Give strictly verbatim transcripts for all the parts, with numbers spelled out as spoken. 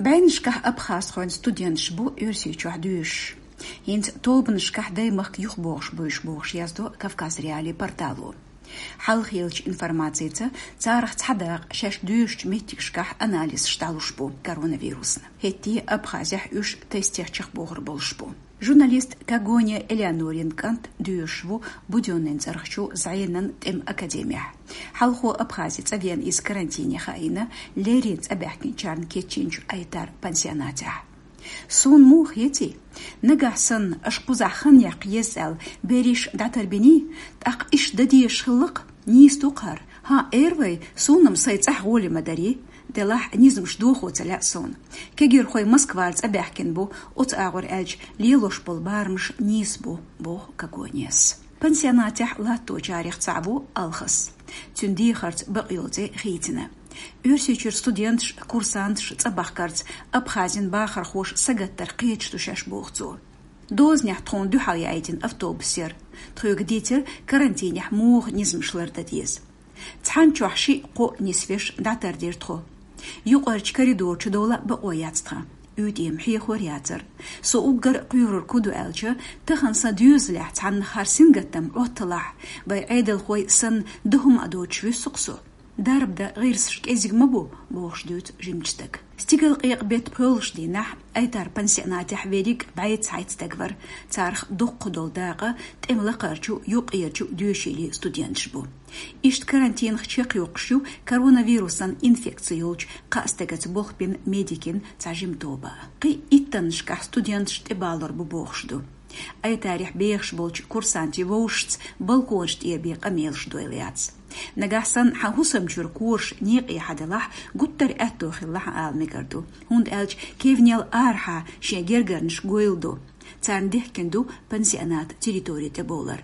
БӀеннашкахь абхазхойн студенташ бу Оьрсийчохь доьшуш. ХӀинца тобанашкахь даймахка юхабогӀуш буйш бохуш яздо Кавказ.Реалии портало. Хьалхелчу информацица, царах цхьа дакъа шаьш доьшучу меттигашкахь анализаш дӀалуш бу коронавирусна. ХӀетте Абхазехь уьш тестех чекхбохур болуш бу. Журналист Когония Элеонорин кӀант доьшуш ву Будённыйн цӀарахчу зӀенан тӀеман академехь. Хьалхо Абхазе цӀа веана иза карантине хаийна, леррина цӀа баьхкинчарна кечйинчу Айтар пансионатехь. Суна муха хетий? Нагахь санна аша кхузахь хан яккха еза аьлла, берриш дӀатарбиний, тӀаккха иштта дан дезаш хилла-кх, нийса ду-кх хӀара. ХӀан, эр вай, суна-м сайн цӀахь гӀоле ма дарий, делахь низамаш дохо ца лаьа суна. Кегийрхой Москвара цӀа баьхкина бу, оцу агӀор аьлча, лелош болу барамаш нийса бу, боху Когонияс. Пансионатехь латточарех цхьаъ ву Алхас. Цуьнан дехарца бакъйолу цӀе хийцина. Оьрсийчуьра студенташ, курсанташ цӀа бахкарца Абхазин бахархоша сагаттар кхеташ ду шаьш, боху цо. Дозанехь тхуна дуьхьал яийтина автобус яра. Тхоьга дийцира, карантинехь муха низамаш лардан деза. Цхьана чохь шиъ-кхоъ нисвеш дӀатардира тхо. Юкъарчу коридор чу довла бакъо яц тхан. УьйтӀе-м хьехор яцара. Со уггар а кхоьрур ку ду аьлча, тахана сан доьзалехь цхьанна хӀара сингаттам Ӏотталахь, вай Ӏедалхой санна дан хӀума а доцуш вуьссу-кх со. Дарба дан гӀирсаш кӀезиг ма бу, бохуш дуьйцу жимачу стага. Стигалкъекъа-беттан пхоьалгӀачу дийнахь Айтар пансионатехь верриг а бӀе цхьайтта стаг вара, царах доккха долу дакъа тӀеман лакхарчу, юккъерчу доьшийлийн студенташ бу. Иштта карантинах чекхйоккхуш ю коронавирусан инфекци йолчу кхаа стагаца болх бина медикийн цхьа жима тоба. Кхин иттаннашкахь студенташ тӀебалор бу бохуш ду. Айтарехь бехаш болчу курсантийн вовшашца балконаш тӀера бен къамелаш дойла яц. Нагахь санна хьан хӀусам чуьра кораш некъе хьан делахь, гуттар а аьтто хилла хьан ала мегар ду, хӀунда аьлча кевнел арахьа шен гергарнаш гойла ду. Царна дехкина ду пансионат территори тӀебовлар.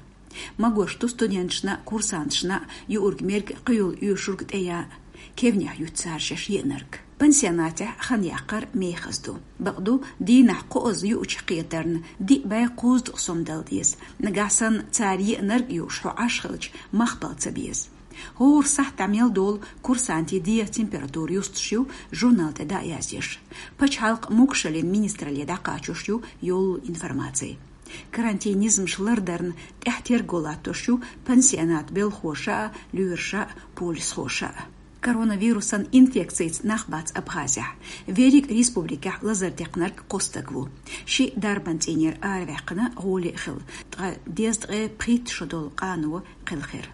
Магош ду студенташна а, курсанташна а юург мерг а, кхуьйула оьшург а тӀеян а, кевнех юьту цара шаьш еанарг. Пансионатехь хан яккхар мехаза ду. Бакъду, дийнахь кхоазза юучу кхетарна диъ бӀе кхузткъа сом дала деза. Нагахь санна цара еанарг а юуш хьо Ӏаш хилча, мах бала ца беза. ХӀора сахьт дӀа мел долу курсантийн дегӀан температура юстуш ю, журнал тӀе дӀа а язъеш. Пачхьалкхан могушаллин министралле дӀакхачош ю йолу информаци. Карантин низамаш лардарна тӀехь терго латтош ю пансионат белхоша а, лоьраша а, полисхоша а. Коронавирусан инфекцица нах бац Абхазехь. Верриг а республикехь лазар декхнарг кхо стаг ву. Шиъ дарбан цӀийнера араваьккхина, гӀоле а хилла, ткъа дезткъе пхийтта шо долу къано кхелхира.